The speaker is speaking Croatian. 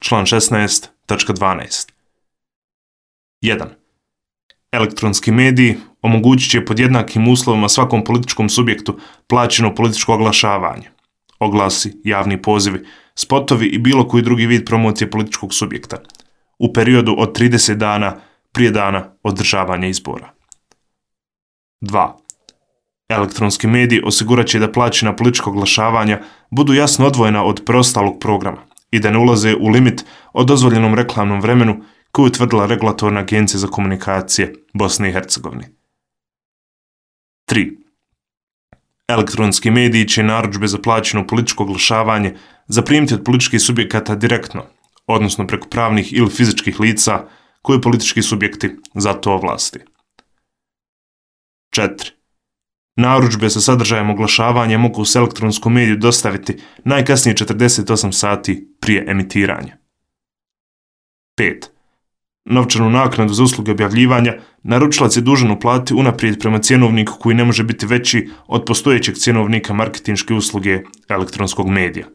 Član 16.12. 1. Elektronski mediji omogućit će pod jednakim uslovima svakom političkom subjektu plaćeno političko oglašavanje, oglasi, javni pozivi, spotovi i bilo koji drugi vid promocije političkog subjekta u periodu od 30 dana prije dana održavanja izbora. 2. Elektronski mediji osigurat će da plaćena politička oglašavanja budu jasno odvojena od preostalog programa i da ne ulaze u limit o dozvoljenom reklamnom vremenu koju je utvrdila Regulatorna agencija za komunikacije Bosne i Hercegovine. 3. Elektronski mediji će narudžbe za plaćeno političko oglašavanje zaprimiti od političkih subjekata direktno, odnosno preko pravnih ili fizičkih lica koje politički subjekti za to ovlasti. 4. Narudžbe sa sadržajem oglašavanja mogu se elektronskom mediju dostaviti najkasnije 48 sati prije emitiranja. 5. Novčanu naknadu za usluge objavljivanja naručilac je dužan uplatiti unaprijed prema cjenovniku koji ne može biti veći od postojećeg cjenovnika marketinške usluge elektronskog medija.